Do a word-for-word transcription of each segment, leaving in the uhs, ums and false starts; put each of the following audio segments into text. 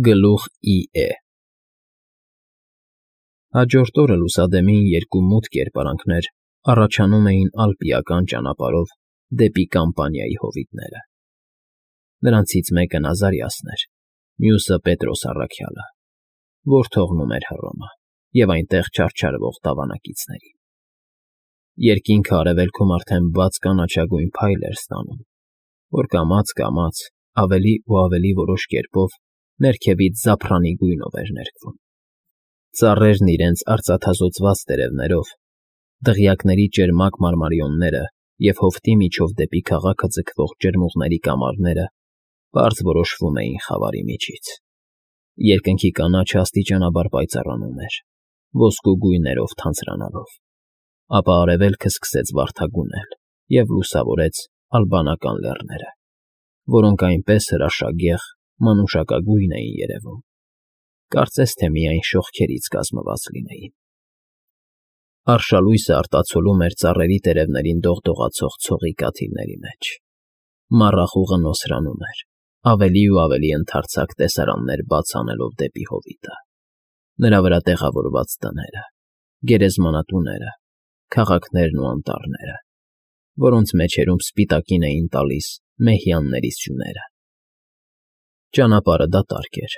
Գլուխ ի է Հաջորդ օրը լուսադեմին երկու մութ կերպարանքներ առաջանում էին ալպիական ճանապարհով դեպի Կամպանիայի հովիտները. նրանցից մեկը Նազարիասն էր, մյուսը Պետրոս առաքյալը, որ թողնում էր Հռոմը և այնտեղ չարչարվող տավանակիցներին. երկինքը արևելքում արդեն բաց կանաչագույն փայլ էր ստանում, որ կամաց֊կամաց, ավելի ու ավելի որոշ կերպով ներքևից զափրանի գույնով էր ներկվում. ծառերն իրենց արծաթազօծված տերևներով, դղյակների ճերմակ մարմարիոնները և հովտի միջով դեպի քաղաքը ձգվող ջրմուղների կամարները պարզ որոշվում էին խավարի միջից. երկնքի կանաչը աստիճանաբար պայծառանում էր, ոսկու գույներով թանձրանալով, ապա արևելքը սկսեց վարդագունել և լուսավորեց ալբանական լեռները, որոնք այնպես հրաշագեղ, մանուշակագույն էին երևում, կարծես թե միայն շողքերից կազմված լինեին. արշալույսը արտացոլում էր ծառերի տերևներին դողդողացող ցողի կաթիլների մեջ, մառախուղը նոսրանում էր, ավելի ու ավելի ընդարձակ տեսարաններ բաց անելով դեպի հովիտը, նրա վրա տեղավորված տները, գերեզմանատուները, քաղաքներն ու անտառները, որոնց մեջերում սպիտակին էին տալիս մեհյանների սյուները. ճանապարհը դատարկ էր,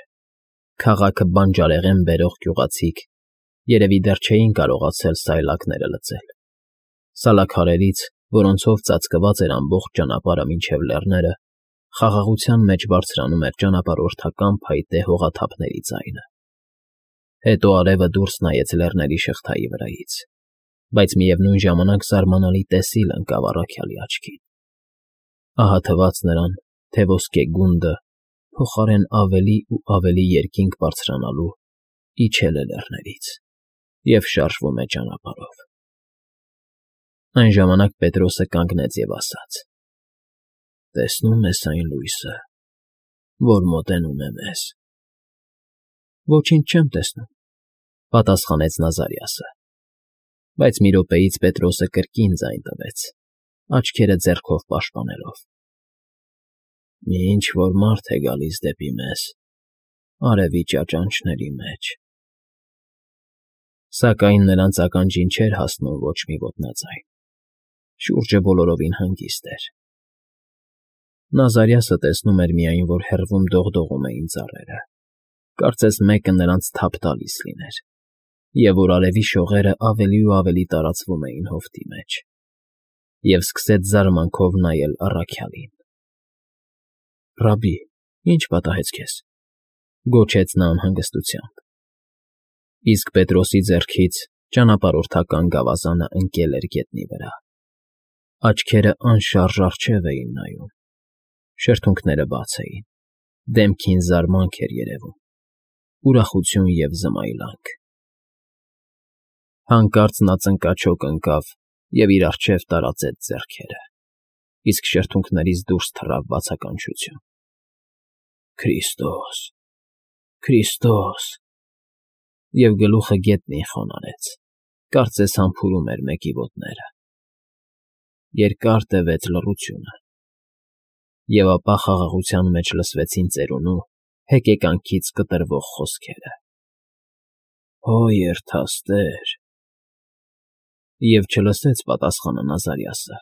քաղաքը բանջարեղեն բերող գյուղացիք երևի դեռ չէին կարողացել սայլակները լցել, սալաքարերից, որոնցով ծածկված էր ամբողջ ճանապարհը մինչև լեռները, խաղաղության մեջ բարձրանում էր ճանապարհորդական փայտե հողաթափների ձայնը. հետո արևը դուրս նայեց լեռների շղթայի վրայից, բայց միևնույն ժամանակ զարմանալի տեսիլ ընկավ առաքյալի աչքին. ահա թվաց նրան, թե ոսկե գունդը, փոխարեն ավելի ու ավելի երկինք բարձրանալու, իջել է լեռներից և շարժվում է ճանապարհով. Այն ժամանակ Պետրոսը կանգնեց և ասաց. «Տեսնո՞ւմ ես այն լույսը, որ մոտենում է մեզ»։ «Ոչինչ չեմ տեսնում», պատասխանեց Նազարիասը, բայց մի րոպեից Պետրոսը կրկին ձայն տվեց, աչքերը ձեռքով պաշտպանելով. «Մի ինչ֊որ մարդ է գալիս դեպի մեզ արևի ճաճանճների մեջ»։ Սակայն նրանց ականջին չէր հասնում ոչ մի ոտնաձայն, շուրջը բոլորովին հանգիստ էր. Նազարիասը տեսնում էր միայն, որ հեռվում դողդողում էին ծառերը, կարծես մեկը նրանց թափ տալիս լիներ, և որ արևի շողերը ավելի ու ավելի տարածվում էին հովտի մեջ, և սկսեց զարմանքով նայել առաքյալին. «Ռաբբի, ի՞նչ պատահեց քեզ», գոչեց նա անհանգստությամբ, իսկ Պետրոսի ձեռքից ճանապարհորդական գավազանը ընկել էր գետնի վրա, աչքերը անշարժ առջև էին նայում, շրթունքները բաց էին, դեմքին զարմանք էր երևում, ուրախություն և զմայլանք. հանկարծ նա ծնկաչոք ընկավ և իր առջև տարածեց ձեռքերը, իսկ շրթունքներից դուրս թռավ բացականչություն. «Քրիստո՜ս, Քրիստո՜ս», և գլուխը գետնին խոնարհեց, կարծես համբուրում էր մեկի ոտները. երկար տևեց լռությունը, և ապա խաղաղության մեջ լսվեցին ծերունու, հեկեկանքից կտրվող խոսքերը. «Հո երդաստեր»։ Եվ չլսեց պատասխանը Նազարիասը,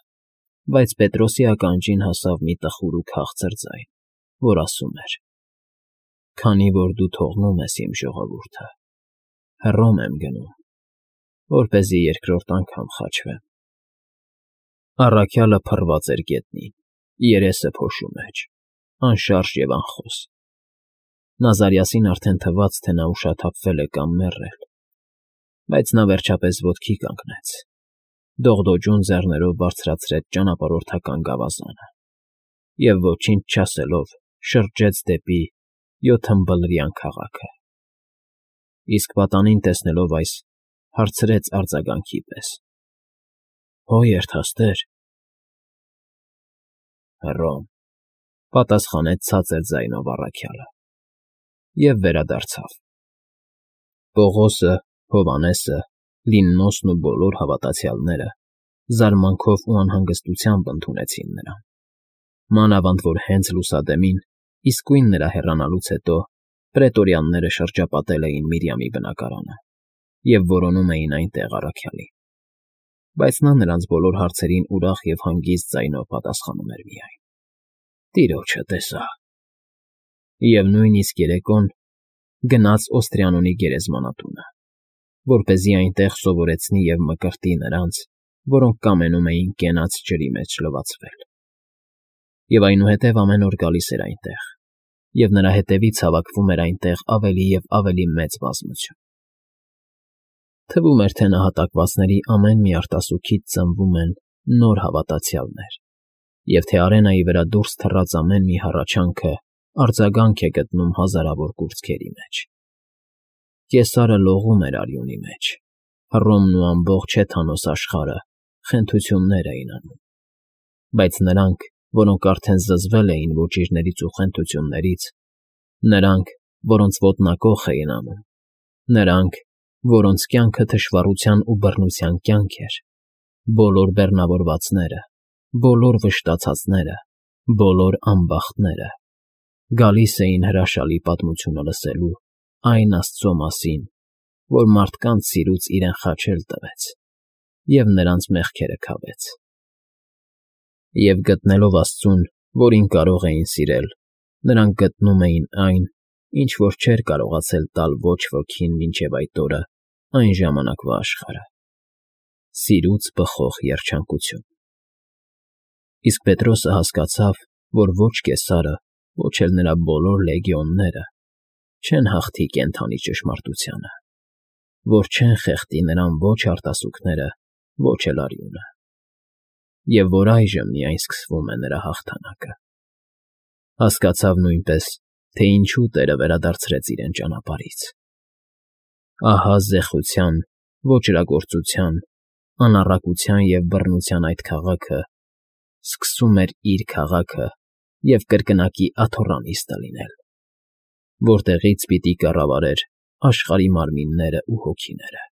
բայց Պետրոսի ականջին հասավ մի տխուր ու քաղցր ձայն, որ ասում էր. «Քանի որ դու թողնում ես իմ ժողովուրդը, Հռոմ եմ գնում, որպեսզի երկրորդ անգամ խաչվեմ»։ Առաքյալը փռված էր գետնին, երեսը փոշու մեջ, անշարժ և անխոս. Նազարիասին արդեն թվաց, թե նա ուշաթափվել է կամ մեռել, բայց նա վերջապես ոտքի կանգնեց, դողդոջուն ձեռներով բարձրացրեց ճանապարհորդական գավազանը և ոչինչ չասելով շրջեց դեպի յոթըմբլրյան քաղաքը, իսկ պատանին տեսնելով այս, հարցրեց արձագանքի պես. «Հո երդաստեր»։ «Հռոմ», պատասխանեց ցածր ձայնով առաքյալը և վերադարձավ. Պողոսը, Հովհաննեսը, Լիննոսն ու բոլոր հավատացյալները զարմանքով ու անհանգստությամբ ընդունեցին նրան, մանավանդ որ հենց լուսադեմին, իսկույն նրա հեռանալուց հետո Պրետորյանները շրջապատել էին Միրիամի բնակարանը և որոնում էին այնտեղ առաքյալին, բայց նա նրանց բոլոր հարցերին ուրախ և հանգիստ ձայնով պատասխանում էր միայն. «Տիրոջը տեսա»։ Եվ նույնիսկ երեկոն գնաց Օստրիանոնի գերեզմանատունը, որպեսզի այնտեղ սովորեցնի և մկրտի նրանց, որոնք կամենում էին կենաց ջրի մեջ լվացվել։ Եվ այնուհետև ամեն օր գալիս էր այնտեղ, և նրա հետևից հավաքվում էր այնտեղ ավելի և ավելի մեծ բազմություն։ Թվում էր, թե նահատակվածների ամեն մի արտասուքից ծնվում են նոր հավատացյալներ, և թե արենայի վրա դուրս թռած ամեն մի հառաչանքը արձագանք է գտնում հազարավոր կուրծքերի մեջ։ Կեսարը լողում էր արյունի մեջ, Հռոմն ու ամբողջ հեթանոս աշխարհը խենթություններ էին անում, բայց նրանք, որոնք արդեն զզվել էին ոճիրներից ու խենթություններից, նրանք, որոնց ոտնակոխ էին անում, նրանք, որոնց կյանքը թշվառության ու բռնության կյանք էր, բոլոր բեռնավորվածները, բոլոր վշտացածները, բոլոր ամբախտները, գալիս էին հրաշալի պատմությունը լսելու այն Աստծո մասին, որ մարդկանց սիրուց իրեն խաչել տվեց և նրանց մեղքերը քավեց։ Եվ գտնելով Աստծուն, որին կարող էին սիրել, նրանք գտնում էին այն, ինչ որ չէր կարողացել տալ ոչ ոքին մինչև այդ օրը այն ժամանակվա աշխարհը՝ սիրուց բխող երջանկություն։ Իսկ Պետրոսը հասկացավ, որ ոչ Կեսարը, ոչ էլ նրա բոլոր լեգիոնները չեն հաղթի կենդանի ճշմարտությանը, որ չեն խեղդի նրան ոչ արտասուքները, ոչ էլ արյունը, և որ այժմ միայն սկսվում է նրա հաղթանակը։ Հասկացավ նույնպես, թե ինչու Տերը վերադարձրեց իրեն ճանապարհից։ Ահա զեխության, ոճրագործության, անառակության և բռնության այդ քաղաքը սկսում էր իր քաղաքը և կրկնակի աթոռանիստը լինել, որտեղից պիտի կառավարեր աշխարհի մարմիններն ու հոգիները։